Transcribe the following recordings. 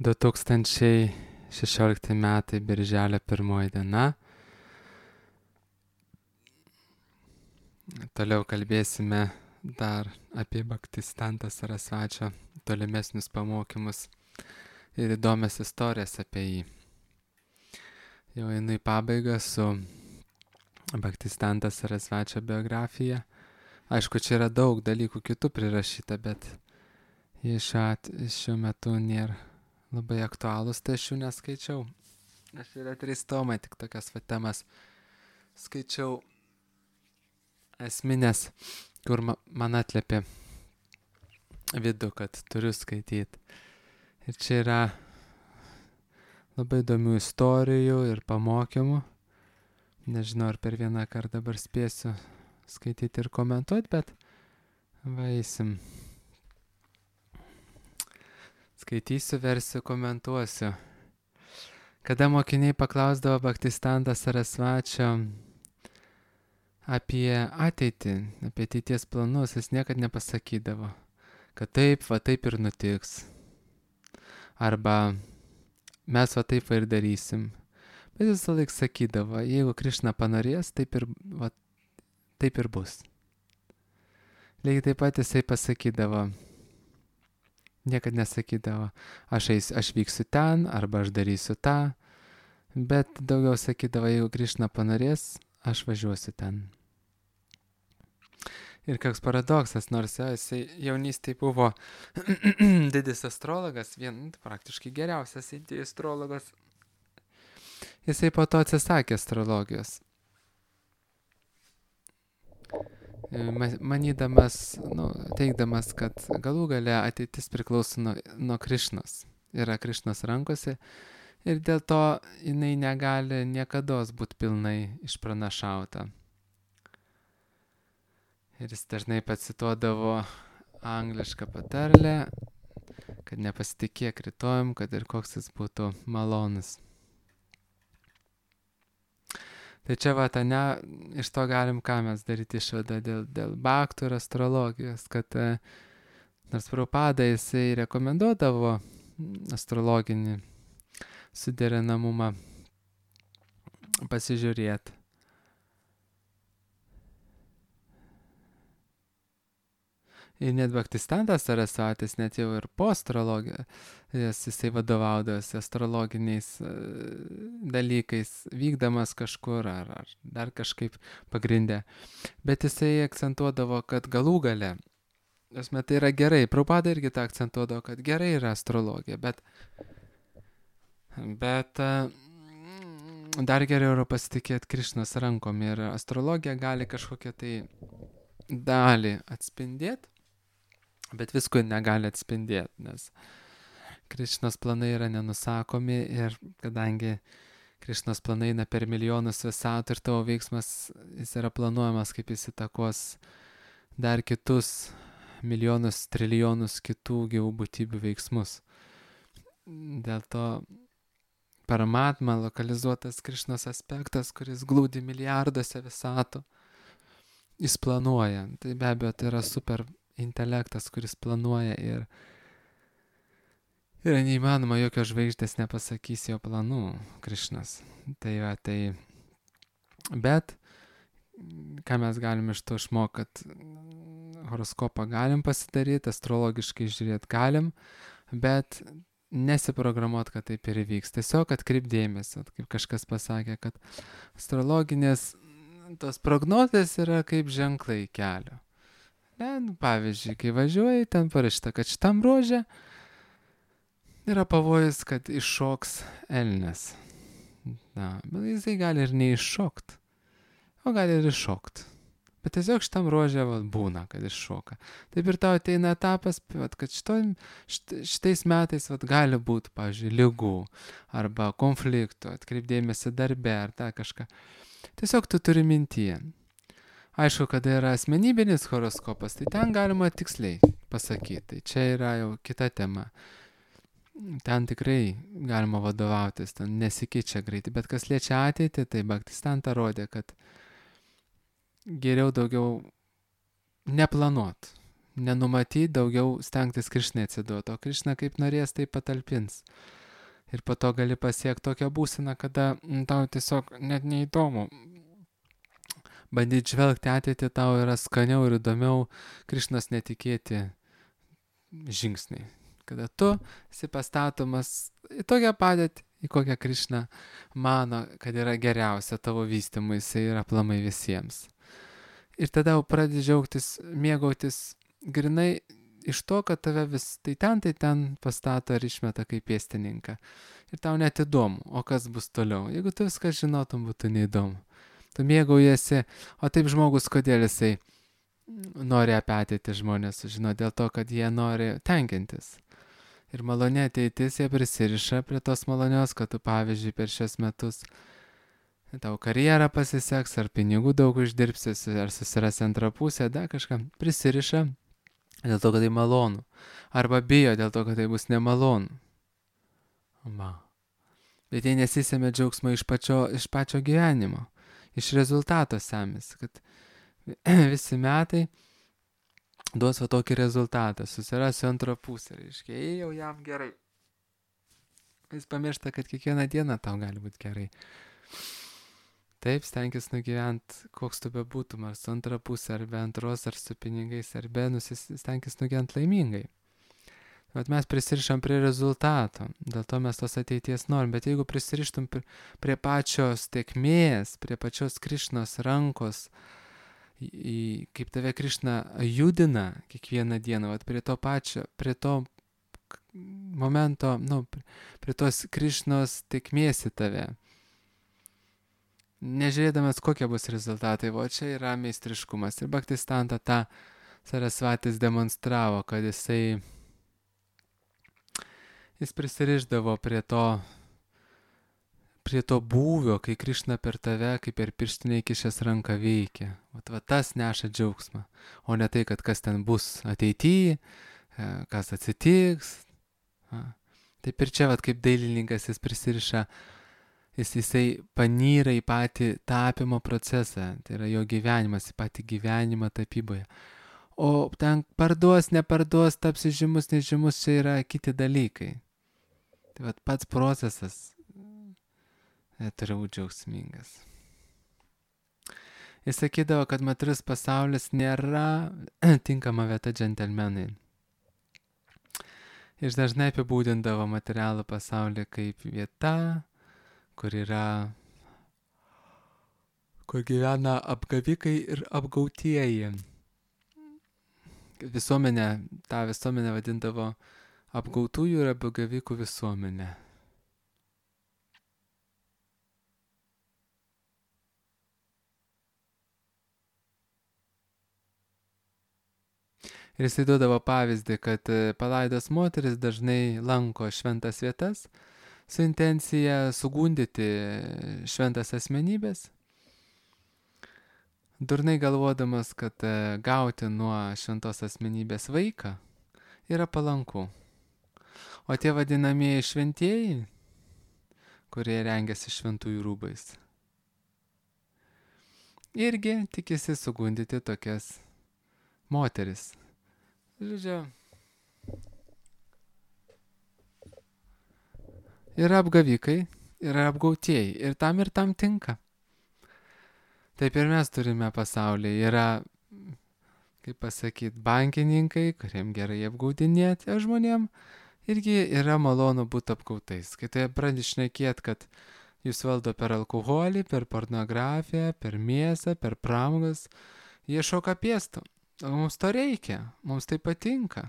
2016 metai, birželio 1 diena. Toliau kalbėsime dar apie Bhaktisiddhanta Sarasvačio tolimesnius pamokymus ir įdomias istorijas apie jį. Jau einu į pabaigą su Bhaktisiddhanta Sarasvačio biografija. Aišku, čia yra daug dalykų kitų prirašyta, bet jie šiuo metu nėra labai aktualūs, tai aš jų neskaičiau. Aš yra 3 tomai, tik tokias temas skaičiau esminės, kur man atliepė vidų, kad turiu skaityti. Ir čia yra labai įdomių istorijų ir pamokymų. Nežinau, ar per vieną kartą dabar spėsiu skaityti ir komentuoti, bet eisim. Skaitysiu, versiu, komentuosiu. Kada mokiniai paklausdavo Bhaktisiddhanta Sarasvačio apie ateitį, apie ateities planus, jis niekad nepasakydavo, kad taip ir nutiks. Arba mes taip ir darysim. Bet jis visą laiką sakydavo, jeigu Krišna panorės, taip ir bus. Lygiai taip pat jisai pasakydavo, niekad nesakydavo, aš vyksiu ten, arba aš darysiu tą, bet daugiau sakydavo, jeigu Krišna panorės, aš važiuosiu ten. Ir koks paradoksas, nors jisai jaunystėje buvo didis astrologas, praktiškai geriausias indijos astrologas, jisai po to atsisakė astrologijos. Manydamas, teigdamas, kad galų gale ateitis priklauso nuo Krišnos, yra Krišnos rankose ir dėl to jinai negali niekados būti pilnai išpranašauta. Ir jis dažnai pacituodavo anglišką patarlę, kad nepasitikėk rytojum, kad ir koks jis būtų malonus. Tai čia iš to galim ką mes daryti išvadą dėl bhaktų ir astrologijos, kad nors Prabhupada jisai rekomenduodavo astrologinį suderinamumą pasižiūrėti. Ir net Bhaktisiddhantas Sarasvatis, net jau ir po astrologijos, jisai vadovaudavosi astrologiniais dalykais, vykdamas kažkur ar dar kažkaip pagrindė. Bet jisai akcentuodavo, kad galų gale, tai yra gerai, Prabhupada irgi tą akcentuodavo, kad gerai yra astrologija, bet dar geriau yra pasitikėti Krišnos rankom ir astrologija gali kažkokią tai dalį atspindėti, bet visko negali atspindėti, nes Krišnos planai yra nenusakomi ir kadangi Krišnos planai eina per milijonus visatų ir tavo veiksmas, jis yra planuojamas, kaip jis įtakos dar kitus milijonus, trilijonus kitų gyvų būtybių veiksmus. Dėl to Paramatma, lokalizuotas Krišnos aspektas, kuris glūdi milijarduose visatų, jis planuoja. Tai be abejo, tai yra super intelektas, kuris planuoja ir neįmanoma, jokios žvaigždės nepasakys jo planų Krišnas. Bet ką mes galim iš to išmokti, kad horoskopą galim pasidaryti, astrologiškai žiūrėti galim, bet nesiprogramuoti, kad taip ir įvyks. Tiesiog atkreip dėmesį, kaip kažkas pasakė, kad astrologinės tos prognozės yra kaip ženklai kelio. Pavyzdžiui, kai važiuoji, ten parašyta, kad šitam ruože yra pavojus, kad iššoks elnias. Bet jisai gali ir neiššokt, o gali ir iššokt. Bet tiesiog šitam ruože būna, kad iššoka. Taip ir tau ateina etapas, kad šitais metais gali būti, pavyzdžiui, ligų arba konfliktų, atkreipdėmėsi darbe ar kažką. Tiesiog tu turi mintyje. Aišku, kada yra asmenybinis horoskopas, tai ten galima tiksliai pasakyti. Tai čia yra jau kita tema. Ten tikrai galima vadovautis, ten nesikeičia greitai. Bet kas liečia ateitį, tai Bhaktisiddhanta rodė, kad geriau daugiau neplanuot. nenumatyti, daugiau stengtis Krišnai atsiduoti, o Krišna kaip norės, tai patalpins. Ir po to gali pasiekti tokią būseną, kada tau tiesiog net neįdomu. Bandyti žvelgti ateitį tau yra skaniau ir įdomiau Krišnos netikėti žingsniai. Kada tu esi pastatomas į tokią padėtį, į kokią Krišna mano, kad yra geriausia tavo vystymuisi ir aplamai visiems. Ir tada jau pradedi džiaugtis, mėgautis grinai iš to, kad tave vis tai ten pastato ar išmeta kaip pėstininką. Ir tau net įdomu, o kas bus toliau. Jeigu tu viską žinotum, būtų neįdomu. Tu mėgaujasi, o taip žmogus, kodėl jisai nori apie ateitį žmonės sužinoti, dėl to, kad jie nori tenkintis. Ir malonė ateitis jie prisiriša prie tos malonios, kad tu pavyzdžiui per šios metus tau karjerą pasiseks, ar pinigų daug uždirbsi, ar susirasi antrą pusę, dar kažką prisiriša dėl to, kad tai malonu. Arba bijo dėl to, kad tai bus nemalonu. Va. Bet jie nesisėmė džiaugsmo iš pačio gyvenimo, iš rezultato semės, kad visi metai duos va tokį rezultatą, susirasiu antrą pusę, reiškia, jau jam gerai. Jis pamiršta, kad kiekvieną dieną tau gali būti gerai. Taip, stenkis nugyventi, koks tu bebūtum, ar su antra pusė, ar be antros, ar su pinigais, ar be, stenkis nugyventi laimingai. Bet mes prisirišam prie rezultato, dėl to mes tos ateities norim, bet jeigu prisirištum prie pačios tėkmės, prie pačios Krišnos rankos, kaip tave Krišna judina kiekvieną dieną, vat prie to momento, prie tos Krišnos tėkmės į tave. Nežiūrėdamas, kokie bus rezultatai, o čia yra meistriškumas. Ir Bhaktisiddhanta tą Sarasvatis demonstravo, kad jis prisirišdavo prie to būvio, kai Krišna per tave, kaip per pirštinę įkišęs ranką veikia. Va tas neša džiaugsmą, o ne tai, kad kas ten bus ateityje, kas atsitiks. Taip ir čia, kaip dailininkas, jis prisiriša, jisai panyra į patį tapimo procesą, tai yra jo gyvenimas, į patį gyvenimą tapyboje. O ten parduos, neparduos, tapsi žymus, nežymus, čia yra kiti dalykai. Tai pats procesas turi būti džiaugsmingas. Jis sakydavo, kad materialus pasaulis nėra tinkama vieta džentelmenai. Jis dažnai apibūdindavo materialų pasaulį kaip vieta, kur gyvena apgavikai ir apgautieji. Ta visuomenė vadindavo apgautųjų ir apgavikų visuomenė. Ir jisai duodavo pavyzdį, kad palaidos moteris dažnai lanko šventas vietas su intencija sugundyti šventas asmenybės, durnai galvodamas, kad gauti nuo šventos asmenybės vaiką yra palanku. O tie vadinamieji šventieji, kurie rengiasi šventųjų rūbais, irgi tikisi sugundyti tokias moteris. Žodžiu, yra apgavikai, yra apgautieji ir tam tinka. Taip ir mes turime pasaulyje. Yra, kaip pasakyti, bankininkai, kuriem gerai apgaudinėti, o žmonėm irgi yra malonu būti apgautais. Kai tai pradedi šnekėti, kad jūs valdo per alkoholį, per pornografiją, per mėsą, per pramogas, jie šoka pėstų. O mums to reikia, mums tai patinka.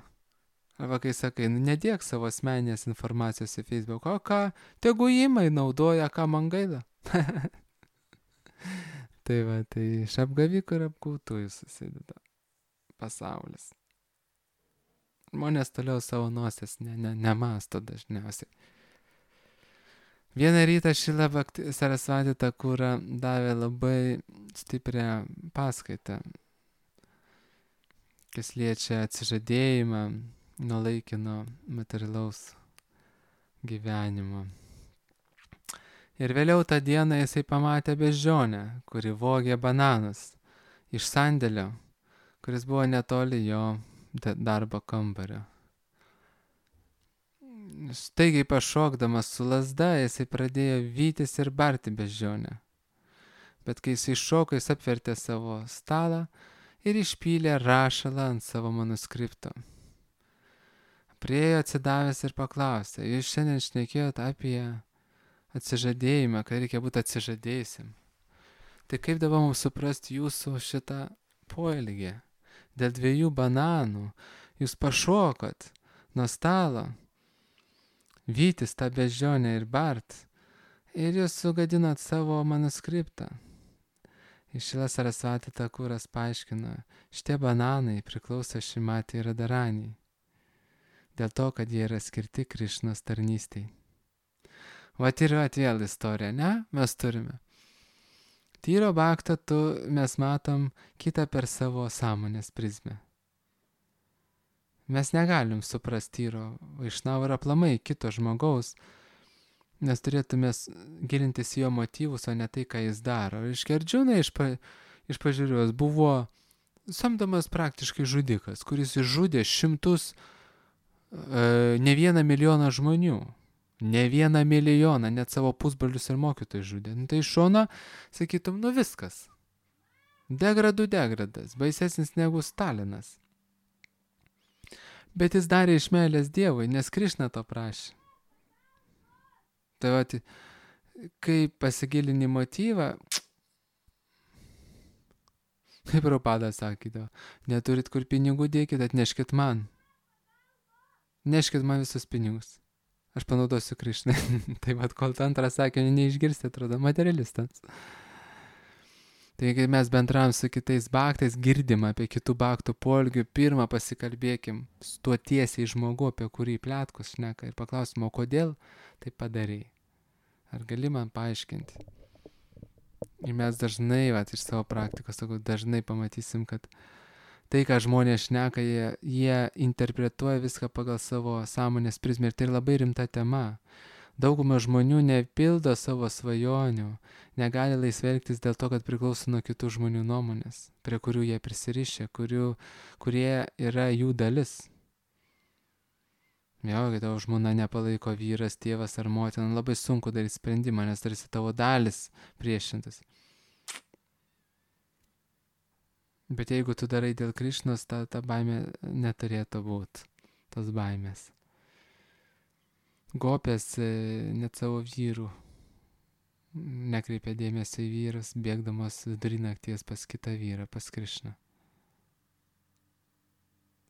Arba kai sakai, nedėk savo asmeninės informacijos į Facebook, o ką, tegu įmai naudoja, ką man gaila. Tai iš apgavikų ir apgautųjų susideda pasaulis. Žmonės toliau savo nosies nemasto dažniausiai. Vieną rytą Šrila Sarasvati Thakura davė labai stiprią paskaitą, kas liečia atsižadėjimą nuo laikino materialaus gyvenimo. Ir vėliau tą dieną jisai pamatė beždžionę, kuri vogė bananus iš sandėlio, kuris buvo netoli jo darbo kambario. Staigiai pašokdamas su lazda, jisai pradėjo vytis ir barti beždžionę. Bet kai jisai šoko, jis apvertė savo stalą ir išpylė rašalą ant savo manuskripto. Priėjo atsidavęs ir paklausė, jūs šiandien šnekėjot apie atsižadėjimą, kad reikia būti atsižadėjusim. Tai kaip dabar mums suprasti jūsų šitą poelgį? Dėl 2 bananų jūs pašokot nuo stalo, vytis tą beždžionę ir bart, ir jūs sugadinot savo manuskriptą. Išila Sarasvati Takuras paaiškino, šitie bananai priklauso Šrimati Radharani, dėl to, kad jie yra skirti Krišnos tarnystei. Vat ir vėl istorija, ne? Mes turime. Tyro baktą mes matom kitą per savo sąmonės prizmę. Mes negalim suprasti Tyro Vaišnavo ir aplamai kito žmogaus, nes turėtume gilintis jo motyvus, o ne tai, ką jis daro. Reiškia, Ardžuna iš pažiūrėjos buvo samdomas praktiškai žudikas, kuris išžudė šimtus, ne 1 milijoną žmonių. Ne 1 milijoną, net savo pusbrolius ir mokytojus žudė. Tai iš šono, sakytum, viskas. Degradas, baisesnis negu Stalinas. Bet jis darė iš meilės Dievui, nes Krišna to prašė. Tai va, kai pasigilini motyvą, kaip Prabhupada sakydavo, neturit kur pinigų dėkit, atneškit man. Neškit man visus pinigus. Aš panaudosiu Krišnai. Tai vat, kol antrą sakinį neišgirsti, atrodo materialistams. Tai kai mes bendravom su kitais baktais, girdim apie kitų baktų poelgių, pirmą pasikalbėkim su tuo tiesiai žmogu, apie kurį pletkus šneka, ir paklausim, o kodėl tai padarei? Ar gali man paaiškinti? Ir mes dažnai, vat, iš savo praktikos, dažnai pamatysim, kad tai, ką žmonės šneka, jie interpretuoja viską pagal savo sąmonės prizmę. Ir tai labai rimta tema. Dauguma žmonių nepildo savo svajonių, negali laisvai elgtis dėl to, kad priklauso nuo kitų žmonių nuomonės, prie kurių jie prisirišę, kurie yra jų dalis. Jo, kai tavo žmona nepalaiko vyras, tėvas ar motina, labai sunku daryti sprendimą, nes tarsi tavo dalis priešintas. Bet jeigu tu darai dėl Krišnos, ta baimė neturėtų būti, tos baimės. Gopės net savo vyrų nekreipia dėmesio į vyrus, bėgdamos vidury nakties pas kitą vyrą, pas Krišną.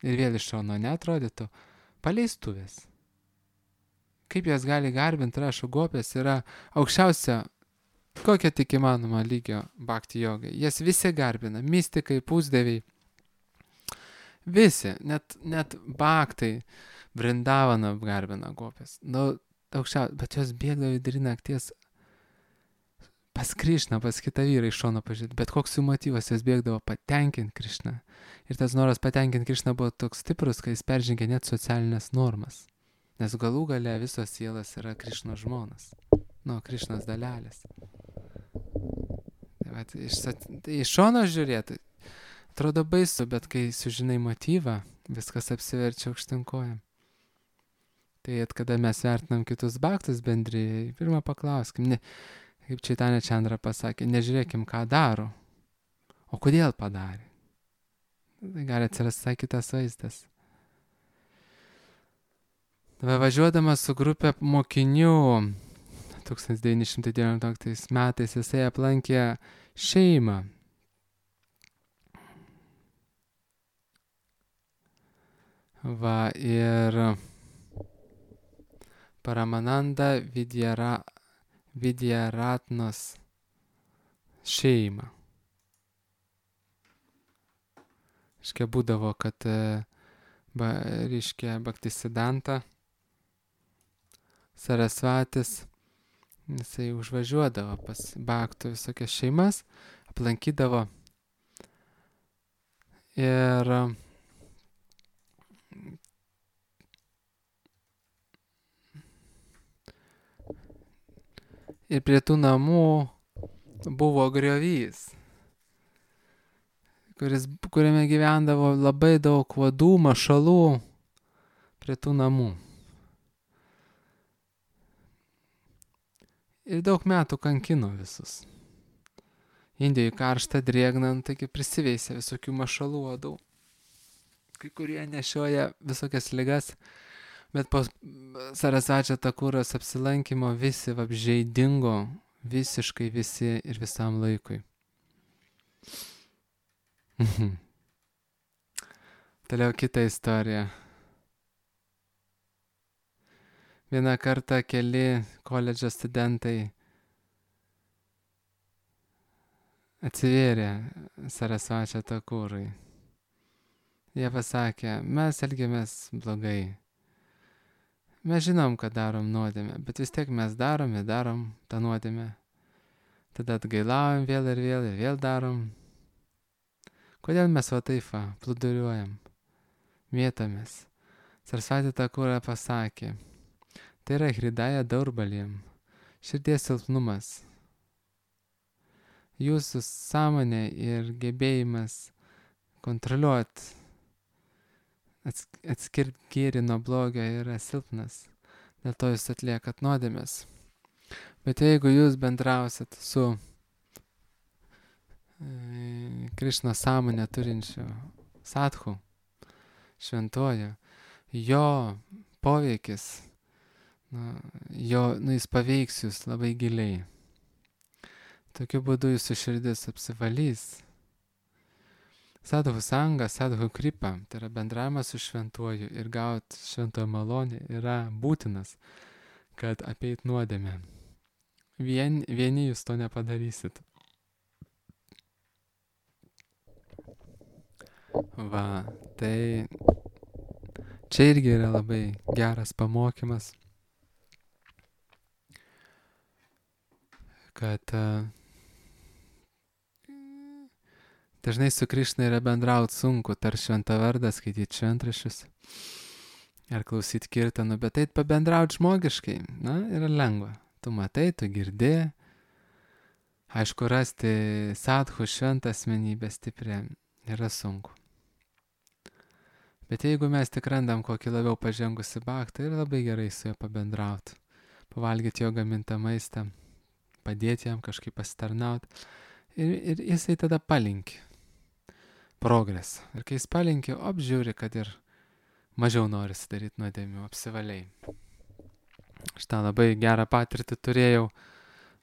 Ir vėl iš šono neatrodytų paleistuvės. Kaip jas gali garbinti, rašo, Gopės yra aukščiausia kokia tik įmanoma lygio bhakti jogai. Jas visi garbina, mistikai, pusdieviai. Visi, net bhaktai Vrindavaną garbina Gopės. Bet jos bėgdavo vidury nakties pas Krišną, pas kitą vyrą iš šono pažiūrėti. Bet koks jų motyvas, jos bėgdavo patenkinti Krišną. Ir tas noras patenkinti Krišną buvo toks stiprus, kai jis peržengė net socialinės normas. Nes galų gale visos sielas yra Krišnos žmonas. Krišnos dalelės. Tai iš šono žiūrėti, atrodo baisu, bet kai sužinai motyvą, viskas apsiverčia aukštinkojam. Tai kada mes vertinam kitus bhaktus bendrijai, pirmą paklauskim, kaip Chaitanya Chandra pasakė, nežiūrėkim, ką daro, o kodėl padarė. Tai gali atsirasti kitas vaizdas. Važiuodamas su grupė mokinių 1919 metais jisai aplankė šeimą. Ir Paramananda Vidyaratnos šeimą. Iškia būdavo, kad Bhaktisiddhanta Sarasvatis, jisai užvažiuodavo pas bhaktų visokias šeimas, aplankydavo ir prie tų namų buvo griovys. kuriame gyvendavo labai daug vadų, mašalų prie tų namų. Ir daug metų kankino visus. Indijoje karšta, drėgna, taigi prisiveisė visokių mašalų uodų. Kai kurie nešioja visokias ligas, bet po Sarasvačio Takuros apsilankymo visi vabzdžiai dingo, visiškai visi ir visam laikui. Toliau kita istorija. Vieną kartą keli koledžo studentai atsivėrė Sarasvačio Takurui. Jie pasakė, mes elgiamės blogai. Mes žinom, kad darom nuodėmę, bet vis tiek mes darom tą nuodėmę. Tada atgailaujam vėl ir vėl darom. Kodėl mes va taip plūduriuojam, mėtomės? Sarasvati Takura pasakė, tai yra hridaja daurbalim, širdies silpnumas. Jūsų sąmonė ir gebėjimas kontroliuoti, atskirti gėrį nuo blogio yra silpnas. Dėl to jūs atliekat nuodėmės. Bet jeigu jūs bendrausit su Krišno sąmonę turinčiu sadhu, šventuoju, jo poveikis, jis paveiks jūs labai giliai. Tokiu būdu jūsų širdis apsivalys. Sadhu sanga, sadhu kripa, tai yra bendravimas su šventuoju ir gauti šventojo malonę yra būtinas, kad apeit nuodėmę. Vieni jūs to nepadarysit. Va, tai čia irgi yra labai geras pamokymas, kad dažnai su Krišna yra bendrauti sunku, tar šventą vardą, skaityti šventraščius ar klausyti kirtanų, bet eit pabendrauti žmogiškai, yra lengva. Tu matai, tu girdi. Aišku, rasti sadhu šventą asmenybę stiprią yra sunku. Bet jeigu mes tik randam kokį labiau pažengusi baktą, yra labai gerai su juo pabendrauti. Pavalgyti jo gamintą maistą, padėti jam kažkaip pasitarnauti. Ir jisai tada palinki progresą. Ir kai jis palinki, apžiūri, kad ir mažiau nori daryti nuodėmių, apsivaliai. Šitą labai gerą patirtį turėjau,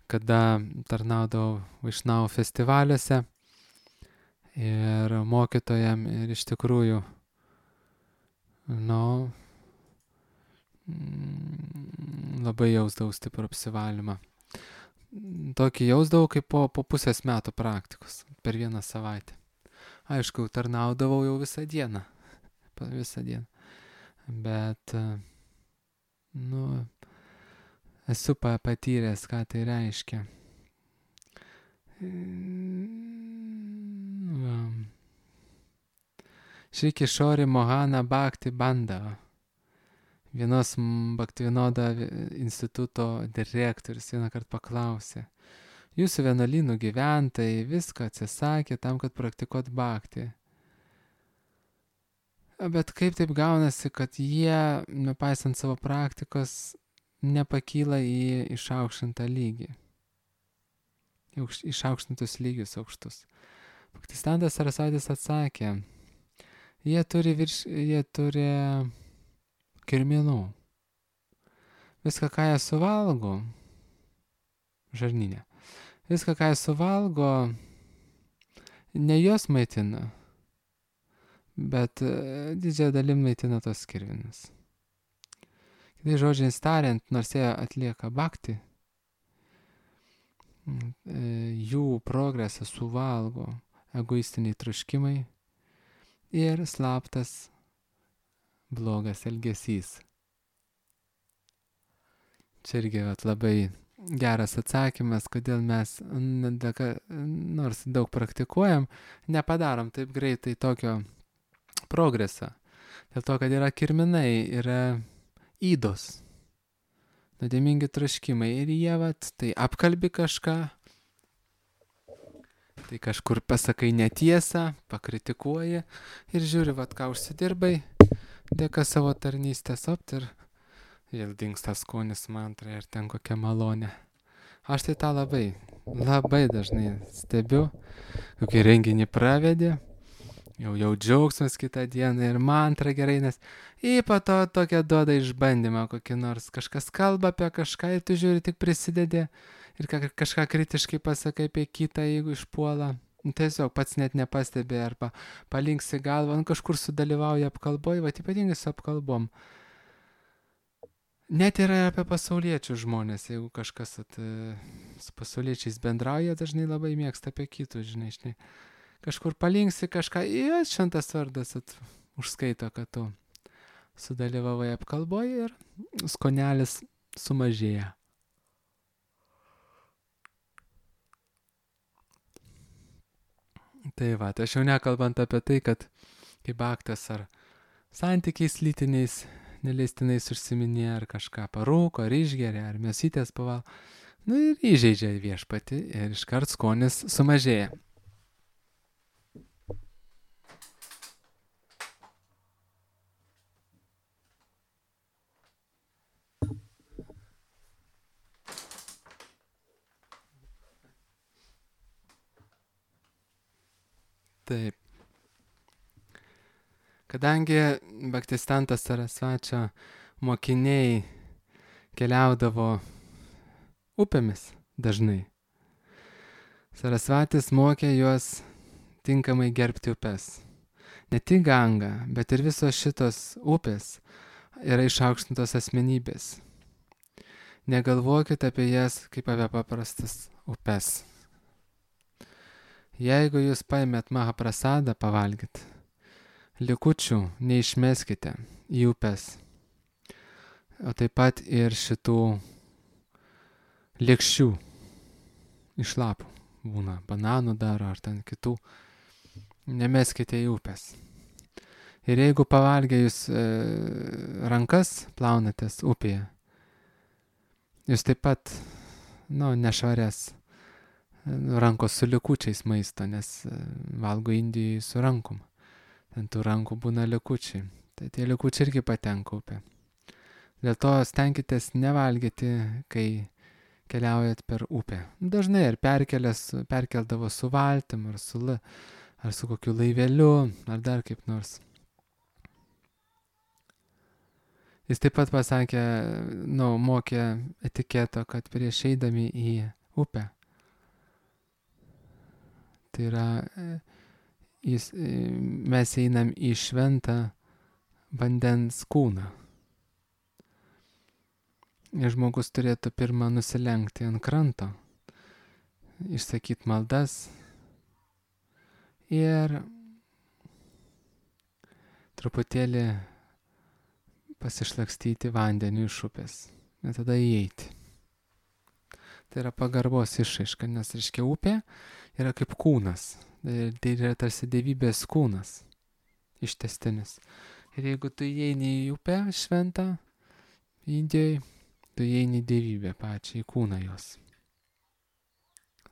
kada tarnaudavau Vaišnavų festivaliuose ir mokytojam ir iš tikrųjų, labai jausdavau stiprų apsivalymą. Tokį jausdavau kaip po pusės metų praktikos, per vieną savaitę. Aišku, tarnaudavau jau visą dieną, bet, esu patyręs, ką tai reiškia. Šri Kishori Mohana Bhakti Bandava, vienos Bhaktivinoda instituto direktorius vieną kartą paklausė, jūsų vienuolynų gyventojai viską atsisakė tam, kad praktikuot bhakti. Bet kaip taip gaunasi, kad jie, nepaisant savo praktikos, nepakyla į išaukštintą lygį, išaukštintus lygius aukštus? Bhaktisiddhanta Sarasvatis atsakė, jie turi kirminų. Viską, ką jie suvalgo, žarnyne, viską, ką jie suvalgo, ne juos maitina, bet didžiąją dalim maitina tos kirminus. Kitai žodžiais tariant, nors jie atlieka bhakti, jų progresą suvalgo egoistiniai troškimai ir slaptas blogas elgesys. Čia irgi labai geras atsakymas, kodėl mes, nors daug praktikuojam, nepadarom taip greitai tokio progresą. Dėl to, kad yra kirminai, yra įdos, nuodėmingi troškimai ir jie tai apkalbi kažką, Tai kažkur pasakai netiesą, pakritikuoji ir žiūri, vat ką užsidirbai, dėka savo tarnystės opt ir vėl dingsta skonis mantra ir ten kokia malonė. Aš tai tą labai dažnai stebiu, kokį renginį pravedė, jau džiaugsmas kitą dieną ir mantra gerai, nes po to tokia duoda išbandymą kokį nors, kažkas kalba apie kažką ir tu žiūri tik prisidedi ir kažką kritiškai pasakai apie kitą, jeigu išpuola. Tiesiog pats net nepastebi arba palinksi galvą, kažkur sudalyvauja apkalboj, va ypatingai su apkalbom. Net yra apie pasauliečių žmonės, jeigu kažkas su pasauliečiais bendrauja, dažnai labai mėgsta apie kitus, žinai. Kažkur palinksi kažką, šventas vardas užskaito, kad tu sudalyvavai apkalboj ir skonelis sumažėja. Tai va, tai aš jau nekalbant apie tai, kad kaip aktas ar santykiais lytiniais neleistinais užsiminė, ar kažką parūko, ar išgeria, ar mėsytės paval. Ir įžeidžia viešpatį ir iškart skonis sumažėja. Taip. Kadangi Bhaktistantas Sarasvačio mokiniai keliaudavo upėmis dažnai, Sarasvatis mokė juos tinkamai gerbti upes. Ne tik Ganga, bet ir visos šitos upės yra išaukštintos asmenybės. Negalvokite apie jas kaip apie paprastas upes. Jeigu jūs paėmėt Mahaprasadą pavalgyti, likučių neišmeskite į upes, o taip pat ir šitų lėkščių iš lapų būna, bananų daro ar ten kitų, nemeskite į upes. Ir jeigu pavalgę jūs rankas plaunatės upėje, jūs taip pat, nešvarės rankos su likučiais maisto, nes valgo Indijai su rankom. Ten tų rankų būna likučiai. Tai tie likučiai irgi patenka upė. Dėl to stenkitės nevalgyti, kai keliaujat per upę. Dažnai ir perkeldavo su valtim, ar su kokiu laiveliu, ar dar kaip nors. Jis taip pat pasakė, mokė etiketo, kad prieš eidami į upę, tai yra, mes einam į šventą vandens kūną. Ir žmogus turėtų pirmą nusilenkti ant kranto, išsakyti maldas ir truputėlį pasišlakstyti vandeniu iš upės ir tada įeiti. Tai yra pagarbos išraiška, nes reiškia upė yra kaip kūnas. Tai yra tarsi dievybės kūnas ištęstinis. Ir jeigu tu įeini į upę šventą Indijoje, tu įeini į dievybę pačią, į kūną jos.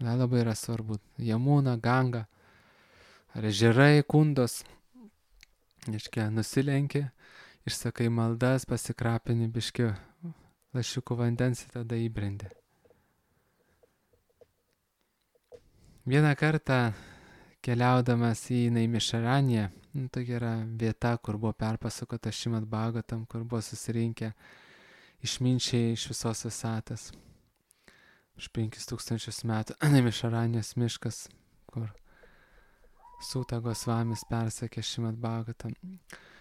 Labai yra svarbu. Jamuna, Ganga, ar ežerai, kundos. Reiškia, nusilenki, išsakai maldas, pasikrapini biškiu lašiukų vandens ir tada įbrendi. Vieną kartą keliaudamas į Naimišaraniją, tokia yra vieta, kur buvo perpasakota Šrimad Bhagavatam, kur buvo susirinkę išminčiai iš visos visatos. Už 5000 metų Naimišaranijos miškas, kur Sūta Gosvamis persakė Šrimad Bhagavatam.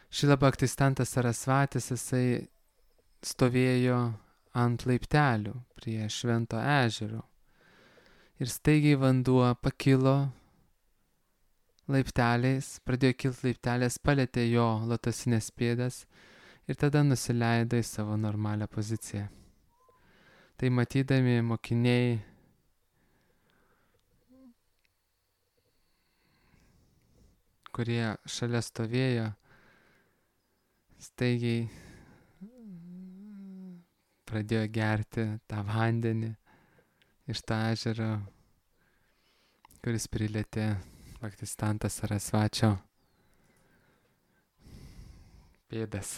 Šrila Bhaktistantas Sarasvatis, jisai stovėjo ant laiptelių prie švento ežero. Ir staigiai vanduo pakilo laipteliais, pradėjo kilti laiptelės, palėtė jo lotosinės pėdas ir tada nusileido į savo normalią poziciją. Tai matydami mokiniai kurie šalia stovėjo, staigiai pradėjo gerti tą vandenį iš tą ežero, kuris prilietė Bhaktisiddhanta Sarasvačio pėdas.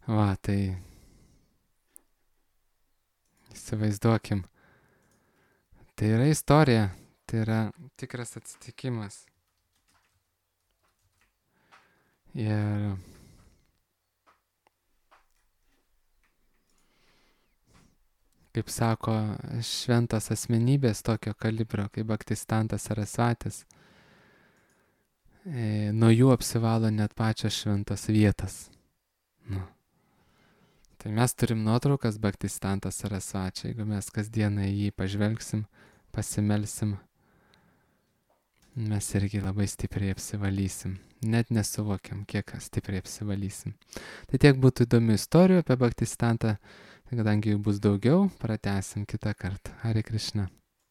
Va, tai įsivaizduokim. Tai yra istorija, tai yra tikras atsitikimas. Ir kaip sako, šventos asmenybės tokio kalibro, kaip Bhaktisiddhantas Sarasvatis, nuo jų apsivalo net pačios šventos vietos. Nu. Tai mes turim nuotraukas Bhaktisiddhantas Sarasvačio, jeigu mes kasdieną į jį pažvelgsim, pasimelsim, mes irgi labai stipriai apsivalysim. Net nesuvokiam, kiek stipriai apsivalysim. Tai tiek būtų įdomių istorijų apie Bhaktisiddhantą, tai kadangi jų bus daugiau, pratęsim kitą kartą. Hare Krishna.